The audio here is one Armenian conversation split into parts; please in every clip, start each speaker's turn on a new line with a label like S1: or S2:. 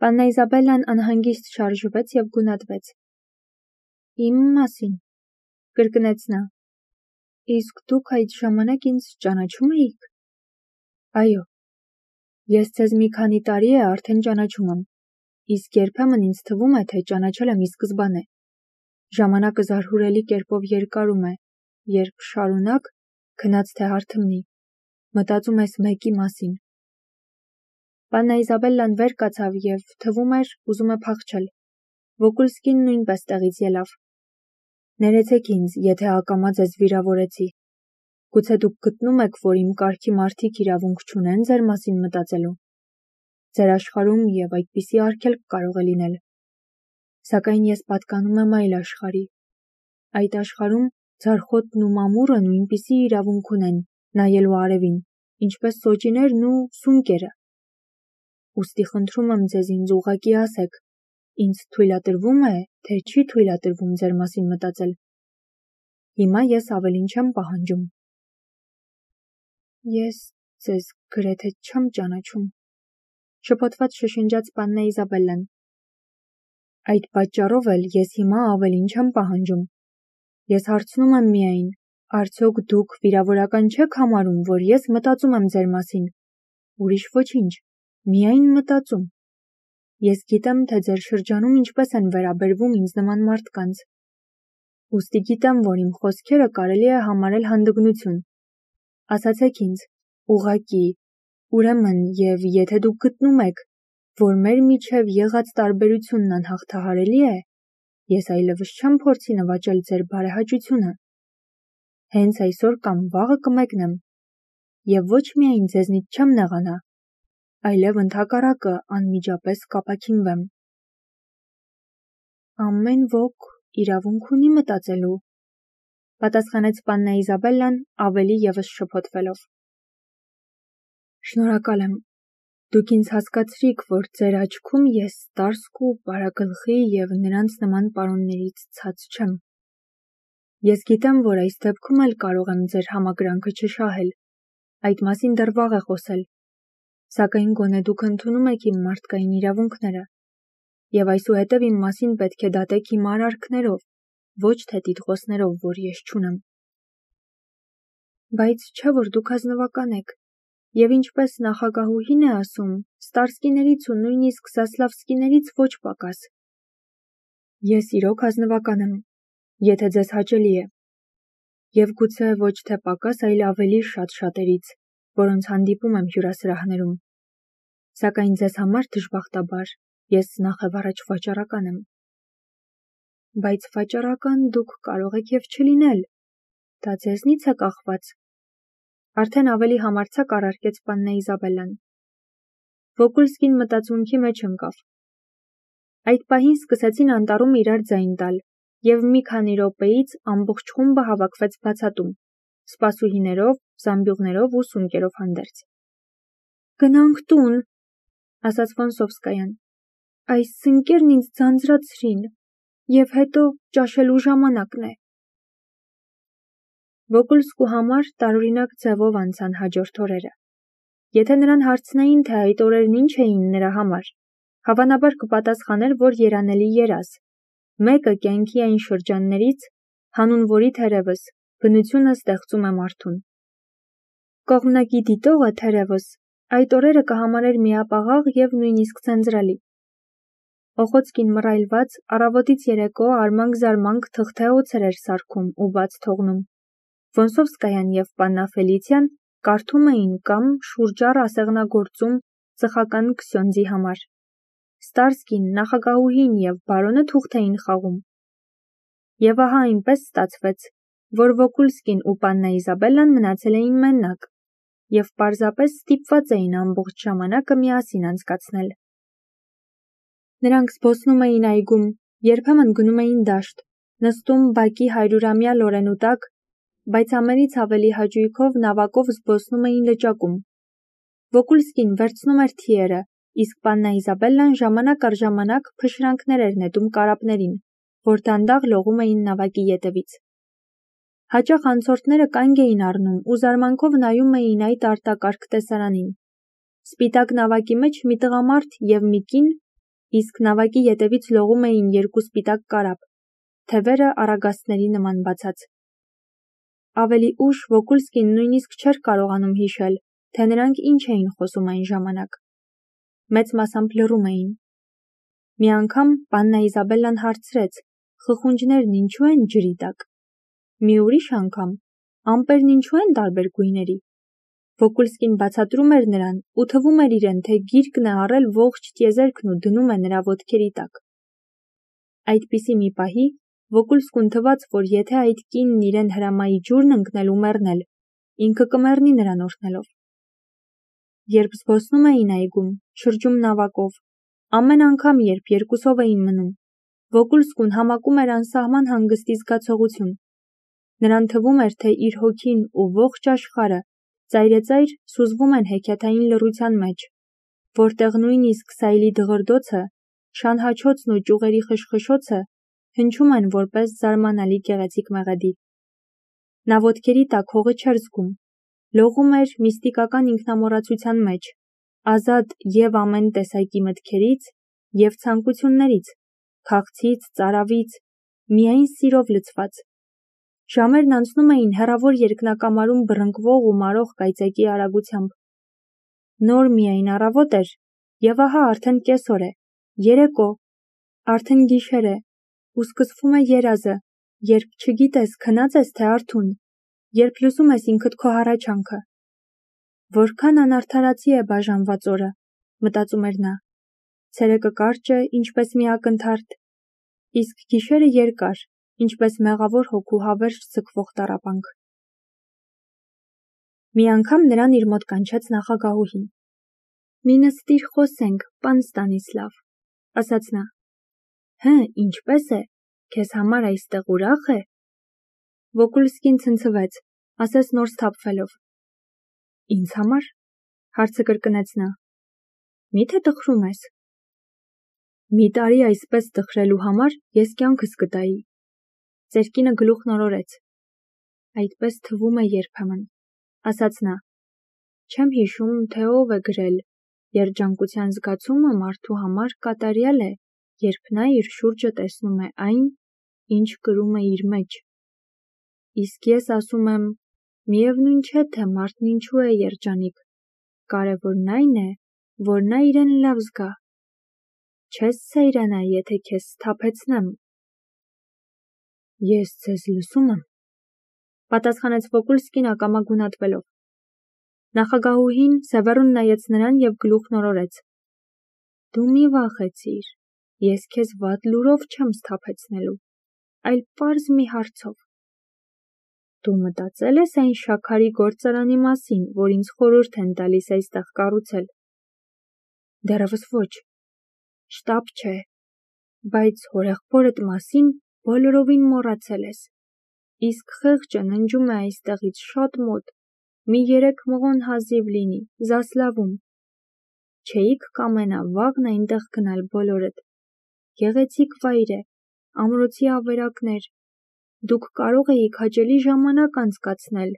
S1: Պաննա Իզաբելլան անհանգիստ շարժվեց և գունատվեց. «Իմ մասին», կրկնեց նա, «իսկ դուք այդ ժամանակ ինձ ճանաչում էիք»։ «Այո, ես ձեզ մի քանի տարի է արդեն ճանաչում եմ, իսկ երբեմն ինձ թվում է, թե ճանաչել եմ ի սկզբանե։ Ժամանակը զարհուրելի կերպով երկարում է, երբ շարունակ, քնած թե հարթմնի, մտածում ես մեկի մասին»։ Պաննա Իզաբելլան վեր կացավ և թվում էր ուզում է փախչել։ Վոկուլսկին նույնպես տեղից ելավ։ «Ներեցեք ինձ, եթե ակամա ձեզ վիրավորեցի։ Գուցե դուք գտնում եք, որ իմ կարգի մարդիկ իրավունք չունեն ձեր մասին մտածելու։ Ձեր աշխարհում և այդպիսի արգելք կարող է լինել։ Սակայն ես պատկանում եմ այլ աշխարհի։ Այդ աշխարհում ձարխոտն ու մամուռը նույնպիսի իրավունք ունեն նայելու արևին, ինչպես սոճիներն ու սունկերը։ Ուստի խնդրում եմ ձեզ ինձ ուղղակի ասեք, ինձ թույլատրվում է, թե չի թույլատրվում ձեր մասին մտածել։ Հիմա ես ավելին չեմ պահանջում»։ «Ես ձեզ գրեթե չեմ ճանաչում», շփոթված շշնջաց Պաննա Իզաբելլան։ «Այդ պատճառով էլ ես հիմա ավելին չեմ պահանջում։ Ես հարցնում եմ միայն, արդյոք դուք վիրավորական չեք համարում, որ ես մտածում եմ ձեր մասին։ Ուրիշ ոչինչ, միայն մտածում։ Ես գիտեմ, թե ձեր շրջանում ինչպես են վերաբերվում ինձ նման մարդկանց։ Ուստի գիտեմ, որ իմ խոսքերը կարելի է համարել հանդգնություն։ Ասացեք ինձ, ուղղակի, ուրեմն, և եթե դուք գտնում եք, որ մեր միջև եղած տարբերությունն անհաղթահարելի է, ես այլևս չեմ փորձի նվաճել ձեր բարեհաճությունը։ Հենց այսօր կամ վաղը կմեկնեմ, և ոչ միայն ձեզնից չեմ նեղանա, այլև ընդհակառակը անմիջապես կապաքինվեմ»։ «Ամեն ոք իրավունք ունի մտածելու», պատասխանեց Պաննա Իզաբելլան ավելի ևս շփոթվելով։ «Շնորհակալ եմ, դուք ինձ հասկացրիք, որ ձեր աչքում ես ստարսկ ու բարագլխի և նրանց նման պարոններից ցած չեմ։ Ես գիտեմ, որ այս դեպքում էլ կարող եմ ձեր համակրանքը չշահել, այդ մասին դեռ վաղ է խոսել, սակայն գոնե դուք ընդունում եք իմ մարդկային իրավունքները, և այսուհետև իմ մասին պետք է դատեք իմ արարքներով, ոչ թե տիտղոսներով, որ ես չունեմ։ Բայց չէ՞ որ դուք ազնվական եք, և ինչպես նախագահուհին է ասում, ստարսկիներից ու նույնիսկ զասլավսկիներից ոչ պակաս։ Ես իրոք ազնվական եմ, եթե ձեզ հաճելի է, և գուցե ոչ թե պակաս, այլ ավելի շատ շատերից, որոնց հանդիպում եմ հյուրասրահներում։ Սակայն ձեզ համար, դժբախտաբար, ես նախևառաջ վաճառական եմ։ Բայց վաճառական դուք կարող եք և չլինել, դա ձեզնից է կախված», արդեն ավելի համարձակ առարկեց Պաննա Իզաբելլան։ Վոկուլսկին մտածմունքի մեջ ընկավ։ Այդ պահին սկսեցին անտառում իրար ձայն տալ, և մի քանի րոպեից ամբողջ խումբը հավաքվեց բացատում, սպասուհիներով, զամբյուղներով ու սունկերով հանդերձ։ «Գնանք տուն», ասաց Ֆոնսովսկայան, «այս սնկերն ինձ ձանձրացրին, և հետո ճաշելու ժամանակն է»։ Վոկուլսկու համար տարօրինակ ձևով անցան հաջորդ օրերը։ Եթե նրան հարցնեին, թե այդ օրերն ինչ էին նրա համար, հավանաբար կպատասխաներ, որ երանելի երազ, մեկը կյանքի այն շրջաններից, հանուն որի թերևս բնությունը ստեղծում է մարդուն։ Կողմնակի դիտողը, թերևս, այդ օրերը կհամարեր միապաղաղ և նույնիսկ ձանձրալի։ Օխոցկին մռայլված առավոտից երեկո արմանք-զարմանք թղթե օձեր էր սարքում ու բաց թողնում։ Ֆոնսովսկայան և Պաննա Ֆելիցիան կարդում էին կամ շուրջառ ասեղնագործում ծխական քսյոնդզի համար։ Ստարսկին, նախագահուհին և բարոնը թուղթ էին խաղում։ Եվ ահա այնպես ստացվեց, որ Վոկուլսկին ու Պաննա Իզաբելլան մնացել էին մենակ և պարզապես ստիպված էին ամբողջ ժամանակը միասին անցկացնել։ Նրանք զբոսնում էին այգում, երբեմն գնում էին դաշտ, նստում բակի 100-ամյա լորենու տակ, բայց ամենից ավելի հաճույքով նավակով զբոսնում էին լճակում։ Վոկուլսկին վերցնում էր թիերը, իսկ Պաննա Իզաբելլան ժամանակ առ ժամանակ փշրանքներ էր նետում կարապներին, որ դանդաղ լողում էին նավակի ետևից։ Հաճախ անցորդները կանգ էին առնում ու զարմանքով նայում էին այդ արտակարգ տեսարանին։ Սպիտակ նավակի մեջ մի տղամարդ և մի կին իսկ նավակի ետևից լողում էին երկու սպիտակ կարապ, թևերը առագաստների նման բացած։ Ավելի ուշ Վոկուլսկին նույնիսկ չէր կարողանում հիշել, թե նրանք ինչ էին խոսում այն ժամանակ։ Մեծ մասամբ լռում էին։ Մի անգամ Պաննա Իզաբելլան հարցրեց. խխունջներն ինչու են ջրի տակ։ Մի ուրիշ անգամ ամպերն ինչու են տարբեր գույների։ Վոկուլսկին բացատրում էր նրան ու թվում էր իրեն, թե գիրկն է առել ողջ տիեզերքն ու դնում է նրա ոտքերի տակ։ Այդպիսի մի պահի Վոկուլսկուն թվաց, որ եթե այդ կինն իրեն հրամայի ջուրն ընկնել ու մեռնել, ինքը կմեռնի նրան օրհնելով։ Երբ զբոսնում էին այգում, շրջում նավակով, ամեն անգամ, երբ երկուսով էին մնում, Վոկուլսկուն համակում էր անսահման հանգստի զգացողություն։ Նրան թվում էր, թե իր հոգին ու ողջ աշխարհը ծայրեծայր սուզվում են հեքիաթային լռության մեջ, որտեղ նույնիսկ սայլի դղրդոցը, շանհաչոցն ու ճյուղերի խշխշոցը հնչում են որպես զարմանալի գեղեցիկ մեղեդի։ Նա ոտքերի տակ հողը չէր զգում, լողում էր միստիկական ինքնամոռացության մեջ, ազատ և ամեն տեսակի մտքերից և ցանկություններից, քաղցից, ծարավից, միայն սիրով լցված։ Ժամերն անցնում էին հեռավոր երկնակամարում բռնկվող ու մարող կայծակի արագությամբ։ Նոր միայն առավոտ էր, և ահա արդեն կեսօր է, երեկո, արդեն գիշեր է, ու սկսվում է երազը, երբ չգիտես քնած ես թե արթուն, երբ լսում ես ինքդ քո հառաչանքը։ Որքան անարդարացի է բաժանված օրը, մտածում էր նա։ Ցերեկը կարճ է, ինչպես մի ակնթարթ, իսկ գիշերը երկար, ինչպես մեղավոր հոգու հավերժ ձգվող տառապանք։ Մի անգամ նրան իր մոտ կանչեց նախագահուհին։ «Մի նստիր խոսենք, պան Ստանիսլավ», ասաց նա։ «Հը, ինչպես է, քեզ համար այստեղ ուրախ է»։ Վոկուլսկին ցնցվեց, ասես նոր սթափվելով։ «Ինձ համար», հարցը կրկնեց նա։ «Մի՞թե տխրում ես»։ «Մի տարի այսպես տխրելու համար ես կյանքս կտայի»։ Ծերկինը գլուխն օրորեց։ «Այդպես թվում է երբեմն», ասաց նա։ «Չեմ հիշում, թե ով է գրել. երջանկության զգացումը մարդու համար կատարյալ է, երբ նա իր շուրջը տեսնում է այն, ինչ կրում է իր մեջ։ Իսկ ես ասում եմ, միևնույն չէ, թե մարդն ինչու է երջանիկ, կարևորն այն է, որ նա իրեն լավ զգա։ Չես սայրանա, եթե քեզ սթափեցնեմ»։ «Ես ձեզ լսում եմ», պատասխանեց Վոկուլսկին ակամա գունատվելով։ Նախագահուհին սևեռուն նայեց նրան և գլուխն օրորեց։ «Դու մի վախեցիր, ես քեզ վատ լուրով չեմ սթափեցնելու, այլ պարզ մի հարցով։ Դու մտածել ես այն շաքարի գործարանի մասին, որ ինձ խորհուրդ են տալիս այստեղ կառուցել»։ «Դեռևս ոչ, շտապ չէ, բայց հորեղբորդ մասին բոլորովին մոռացել ես։ Իսկ խեղճը ննջում է այստեղից շատ մոտ, մի 3 մղոն հազիվ լինի, Զասլավում։ Չէիք կամենա վաղն այնտեղ գնալ բոլորդ։ Գեղեցիկ վայր է, ամրոցի ավերակներ, դուք կարող էիք հաճելի ժամանակ անցկացնել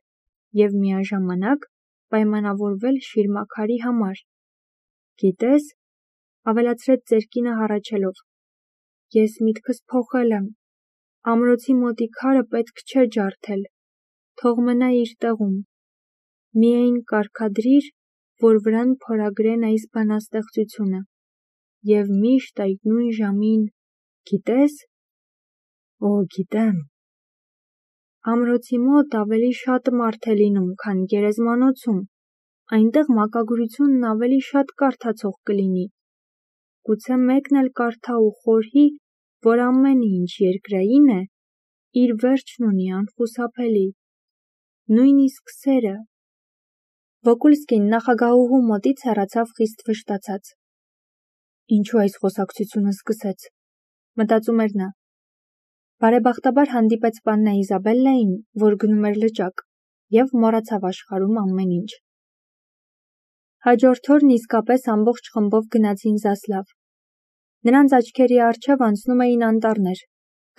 S1: և միաժամանակ պայմանավորվել շիրմաքարի համար։ Գիտես, ավելացրեց ծերկինը հառաչելով, ես միտքս փոխել եմ, ամրոցի մոտի քարը պետք չէ ջարդել, թող մնա իր տեղում։ Միայն կարգադրիր, որ վրան փորագրեն այս բանաստեղծությունը, և միշտ այդ նույն ժամին, գիտես։ Օ, գիտեմ։ Ամրոցի մոտ ավելի շատ մարդ է լինում, քան գերեզմանոցում, այնտեղ մակագրությունն ավելի շատ կարդացող կլինի։ Գուցե մեկն էլ կարդա ու խորհի, որ ամեն ինչ երկրային է, իր վերջն ունի անխուսափելի, նույնիսկ սերը։ Վոկուլսկին նախագահուհու մոտից հեռացավ խիստ վշտացած։ Ինչու այս խոսակցությունը սկսեց, մտածում էր նա։ Բարեբախտաբար հանդիպեց Պաննա Իզաբելլային, որ գնում էր լճակ, և մոռացավ աշխարհում ամեն ինչ։ Հաջորդ օրն իսկապես ամբողջ խմբով գնացին Զասլավ։ Նրանց աչքերի առջև անցնում էին անտառներ,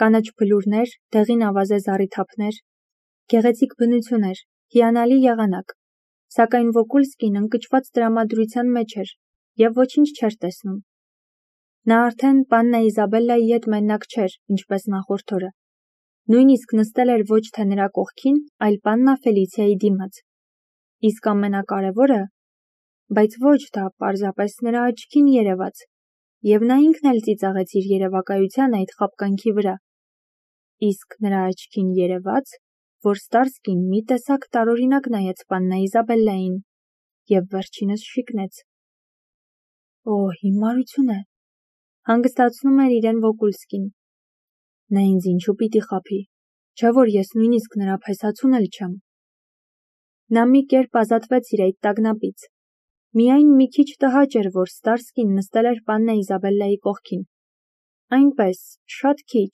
S1: կանաչ բլուրներ, դեղին ավազե զառիթափներ, գեղեցիկ բնություններ, հիանալի եղանակ, սակայն Վոկուլսկին ընկճված տրամադրության մեջ էր և ոչինչ չէր տեսնում։ Նա արդեն պաննա Իզաբելլայի հետ մենակ չէր, ինչպես նախորդ օրը։ Նույնիսկ նստել էր ոչ թե նրա կողքին, այլ պաննա Ֆելիցիայի դիմաց։ Իսկ ամենակարևորը, բայց ոչ դա պարզապես նրա աչքին երևաց, և նա ինքն էլ ծիծաղեց իր երևակայության այդ խաբկանքի վրա։ Իսկ նրա աչքին երևաց, որ Ստարսկին մի տեսակ տարօրինակ նայեց պաննա Իզաբելլային և վերջինս շիկնեց։ Օ, հիմարություն է, հանգստացնում էր իրեն Վոկուլսկին։ Նա ինձ ինչու պիտի խաբի, չէ որ ես նույնիսկ նրա փեսացուն էլ չեմ։ Նա մի կերպ ազատվեց իր այդ տագնապից։ Միայն մի քիչ տհաճ էր, որ Ստարսկին նստել էր պաննա Իզաբելլայի կողքին։ Այնպես, շատ քիչ։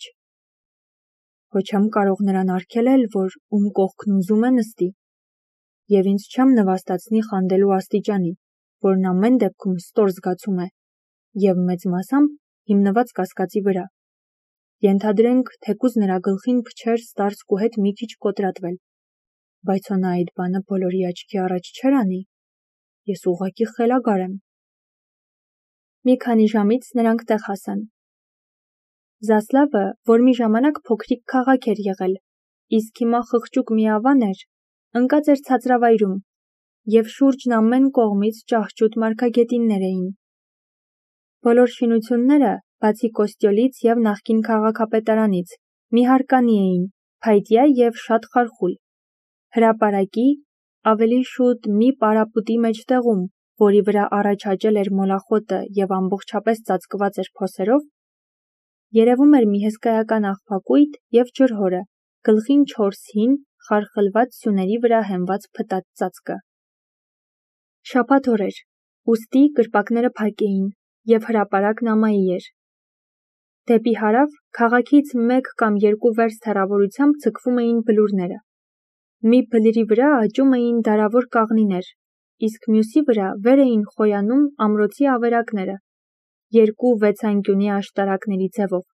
S1: Հո չեմ կարող նրան արգելել, որ ում կողքն ուզում է նստի, և ինձ չեմ նվաստացնի խանդելու աստիճանի, որն ամեն դեպքում ստոր զգացում է, և մեծ մասամբ հիմնված կասկածի վրա։ Ենթադրենք, թեկուզ նրա գլխին փչեր Ստարսկու հետ մի քիչ կոտրատվել, բայց հո նա այդ բանը բոլորի աչքի առաջ չէր անի։ Ես ուղղակի խելագար եմ։ Մի քանի ժամից նրանք տեղ հասան։ Զասլավը, որ մի ժամանակ փոքրիկ քաղաք էր եղել, իսկ հիմա խղճուկ մի ավան էր, ընկած էր ցածրավայրում, և շուրջն ամեն կողմից ճահճուտ մարգագետիններ էին։ Բոլոր շինությունները, բացի կոստյոլից և նախկին քաղաքապետարանից, մի հարկանի էին, փայտյա և շատ խարխուլ։ Հրապարակի, ավելի շուտ մի պարապուտի մեջտեղում, որի վրա առաջ աճել էր մոլախոտը և ամբողջապես ծածկված էր փոսերով, երևում էր մի հսկայական աղբակույտ և ջրհորը, գլխին 4 հին, խարխլված սյուների վրա հենված փտած ծածկը։ Շաբաթ օր էր, ուստի կրպակները փակ էին, և հրապարակն ամայի էր։ Դեպի հարավ քաղաքից 1 կամ 2 վերստ հեռավորությամբ ձգվում էին բլուրները։ Մի բլրի վրա աճում էին դարավոր կաղնիներ, իսկ մյուսի վրա վեր էին խոյանում ամրոցի ավերակները, 2 վեցանկյունի աշտարակների ձևով։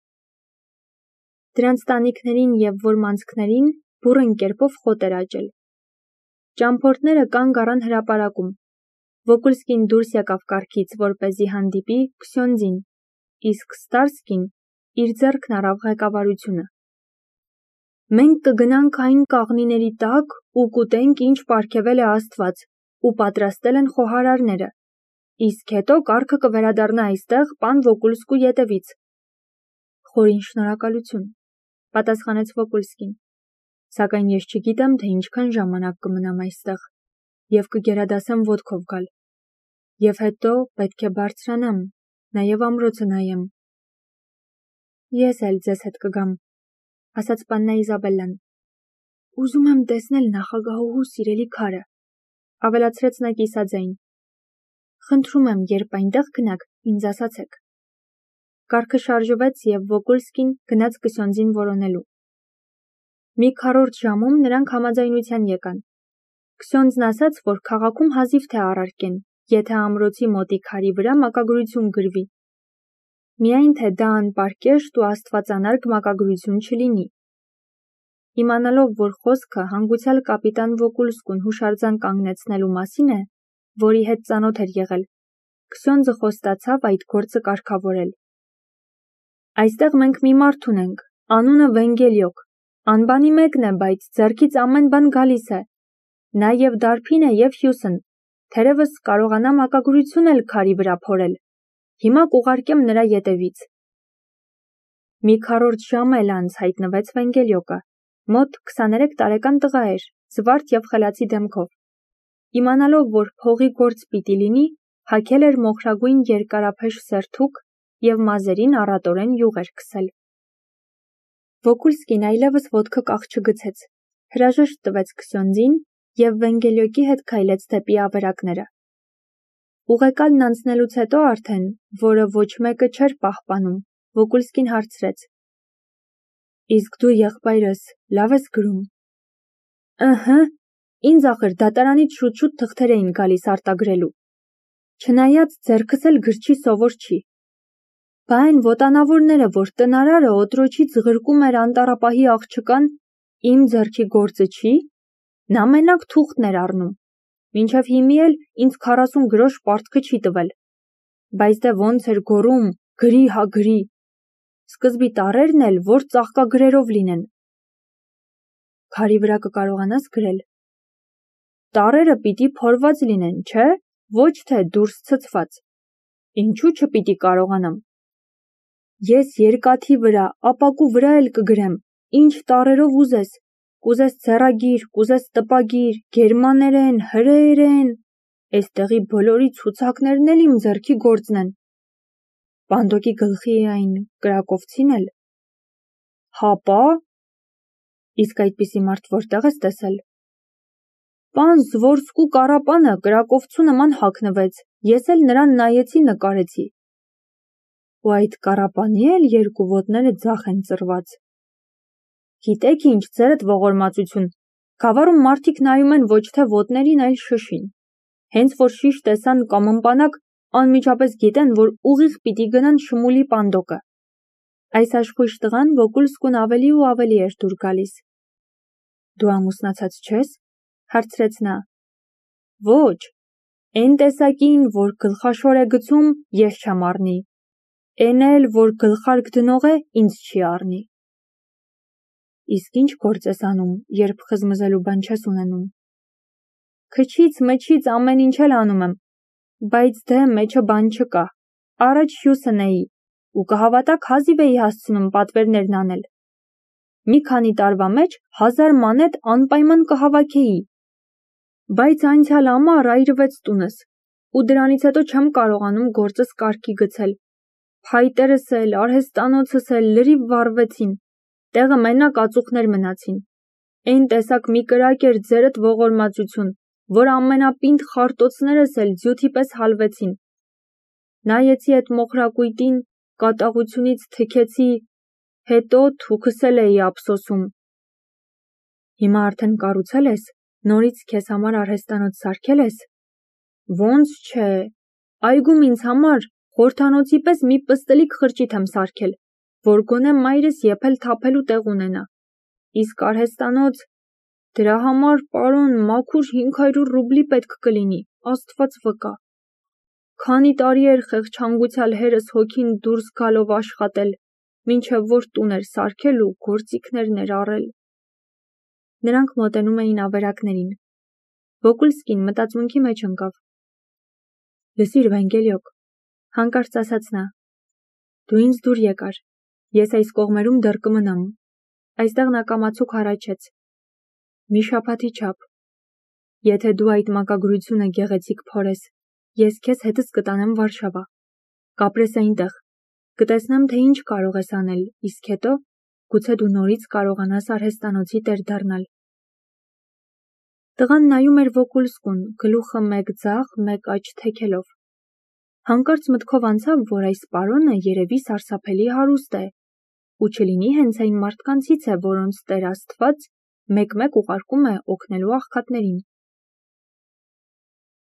S1: Դրանց տանիքներին և որմանցքներին բուռն կերպով խոտ էր աճել։ Ճամփորդները կանգ առան հրապարակում։ Վոկուլսկին դուրս եկավ կառքից, որպեսզի հանդիպի Քսյոնդզին, իսկ Ստարսկին իր ձեռքն առավ ղեկավարությունը։ Մենք կգնանք այն կաղնիների տակ ու կուտենք, ինչ պարգևել է Աստված, ու պատրաստել են խոհարարները, իսկ հետո կառքը կվերադառնա այստեղ պան Վոկուլսկու ետևից։ Խորին շնորհակալություն, պատասխանեց Վոկուլսկին, սակայն ես չգիտեմ, թե ինչքան ժամանակ կմնամ այստեղ, և կգերադասեմ ոտքով գալ, և հետո պետք է բարձրանամ, նաև ամրոցը նայեմ։ Ես էլ ձեզ հետ կգամ, ասաց պաննա Իզաբելլան։ Ուզում եմ տեսնել նախագահուհու սիրելի քարը, ավելացրեց նա կիսաձայն։ Խնդրում եմ, երբ այնտեղ գնաք, ինձ ասացեք։ Կառքը շարժվեց և Վոկուլսկին գնաց Քսյոնդզին որոնելու։ Մի քառորդ ժամում նրանք համաձայնության եկան։ Քսյոնդզն ասաց, որ քաղաքում հազիվ թե առարկեն, եթե ամրոցի մոտի քարի վրա մակագրություն գրվի։ Միայն թե դա անպարկեշտ ու աստվածանարգ մակագրություն չլինի։ Իմանալով, որ խոսքը հանգուցյալ կապիտան Վոկուլսկուն հուշարձան կանգնեցնելու մասին է, որի հետ ծանոթ էր եղել, Քսյոնդզը խոստացավ այդ գործը կարգավորել։ Այստեղ մենք մի մարդ ունենք, անունը Վենգելյոկ, անբանի մեկն է, բայց ձեռքից ամեն բան գալիս է։ Նա և դարբին է և հյուսն, թերևս կարողանա մակագրություն էլ քարի վրա փորել։ Հիմա կուղարկեմ նրա ետևից։ Մի քառորդ ժամ էլ անց հայտնվեց Վենգելյոկը, մոտ 23 տարեկան տղա էր, զվարթ և խելացի դեմքով։ Իմանալով, որ փողի գործ պիտի լինի, հագել էր մոխրագույն երկարափեշ սերթուկ և մազերին առատորեն յուղ էր քսել։ Վոկուլսկին այլևս ոտքը կաղ չգցեց, հրաժեշտ տվեց Քսյոնդզին և Վենգելյոկի հետ քայլեց դեպի ավերակները։ Ուղեկալն անցնելուց հետո արդեն, որը ոչ մեկը չէր պահպանում, Վոկուլսկին հարցրեց. Իսկ դու եղբայրս լավ ես գրում։ Ըհը, ինձ ախր դատարանից շուտ-շուտ թղթեր էին գալիս արտագրելու։ Չնայած ձեռքս էլ գրչի սովոր չի։ Բա այն ոտանավորները, որ տնարարը օտրոչից ղրկում էր անտառապահի աղջկան, իմ ձեռքի գործը չի։ Նա մենակ թուղթն էր առնում։ Մինչև հիմի էլ ինձ 40 գրոշ պարտքը չի տվել։ Բայց դե ոնց էր գոռում, գրի հա գրի, սկզբի տառերն էլ, որ ծաղկագրերով լինեն։ Քարի վրա կկարողանաս գրել։ Տառերը պիտի փորված լինեն, չէ, ոչ թե դուրս ցցված։ Ինչու չպիտի կարողանամ։ Ես երկաթի վրա, ապակու վրա էլ կգրեմ, ինչ տառերով ուզես, կուզես ձեռագիր, կուզես տպագիր, գերմաներեն, հրեերեն, էստեղի բոլորի ցուցակներն էլ իմ ձեռքի գործն են։ Պանդոկի գլխի այն կրակովցին էլ։ Հապա, իսկ այդպիսի մարդ որտեղ ես տեսել։ Պան Զվորսկու կարապանը կրակովցու նման հագնվեց, ես էլ նրան նայեցի նկարեցի։ Ու այդ կարապանի էլ երկու ոտները ձախ են ծռված։ Գիտեք ինչ, ձերդ ողորմածություն, գավառում մարդիկ նայում են ոչ թե ոտներին, այլ շշին։ Հենց որ շիշ տեսան կամ ըմպանակ, անմիջապես գիտեն, որ ուղիղ պիտի գնան Շմուլի պանդոկը։ Այս աշխույժ տղան Վոկուլսկուն ավելի ու ավելի էր դուր գալիս։ Դու ամուսնացած չես, հարցրեց նա։ Ոչ, այն տեսակին, որ գլխաշոր է գցում, ես չեմ առնի, այն էլ, որ գլխարկ դնող է, ինձ չի առնի։ Իսկ ինչ գործ ես անում, երբ խզմզելու բան չես ունենում։ Քչից մչից ամեն ինչ էլ անում եմ, բայց դե մեջը բան չկա, առաջ հյուսն էի, ու կհավատաք հազիվ էի հասցնում պատվերներն անել։ Մի քանի տարվա մեջ 1000 մանետ անպայման կհավաքեի, բայց անցյալ ամառ այրվեց տունս, ու դրանից հետո չեմ կարողանում գործս կարգի գցել։ Փայտերս էլ, արհեստանոցս էլ լրիվ վառվեցին, տեղը մենակ ածուխներ մնացին։ Այն տեսակ մի կրակ էր ձերդ ողորմածություն, որ ամենապինդ խարտոցներս էլ ձյութի պես հալվեցին։ Նայեցի այդ մոխրակույտին, կատաղությունից թքեցի, հետո թուքս էլ էի ափսոսում։ Հիմա արդեն կառուցել ես, նորից քեզ համար արհեստանոց սարքել ես։ Ոնց չէ, այգում ինձ համար խորհրդանոցի պես մի պստլիկ խրճիթ եմ սարքել, որ գոնե մայրս եփել թափելու տեղ ունենա։ Իսկ արհեստանոց, դրա համար, պարոն, մաքուր 500 ռուբլի պետք կլինի, Աստված վկա։ Քանի տարի էր խեղճհանգուցյալ հերս հոգին դուրս գալով աշխատել, մինչև որ տուն էր սարքել ու գործիքներն էր առել։ Նրանք մոտենում էին ավերակներին։ Վոկուլսկին մտածմունքի մեջ ընկավ։ Լսիր, Վանգելյոկ, հանկարծ ասաց նա, դու ինձ դուր եկար, ես այս կողմերում դեռ կմնամ։ Այստեղ նա կամացուկ հառաչեց։ Մի շաբաթի չափ։ Եթե դու այդ մակագրությունը գեղեցիկ փորես, ես քեզ հետս կտանեմ Վարշավա։ Կապրես այնտեղ, կտեսնեմ, թե ինչ կարող ես անել, իսկ հետո գուցե դու նորից կարողանաս արհեստանոցի տեր դառնալ։ Տղան նայում էր Վոկուլսկուն, գլուխը մեկ ձախ, մեկ աջ թեքելով։ Հանկարծ մտքով անցավ, որ այս պարոնը երևի սարսափելի հարուստ է, ու չլինի հենց այն մարդկանցից է, որոնց Տեր Աստված մեկ-մեկ ուղարկում է օգնելու աղքատներին։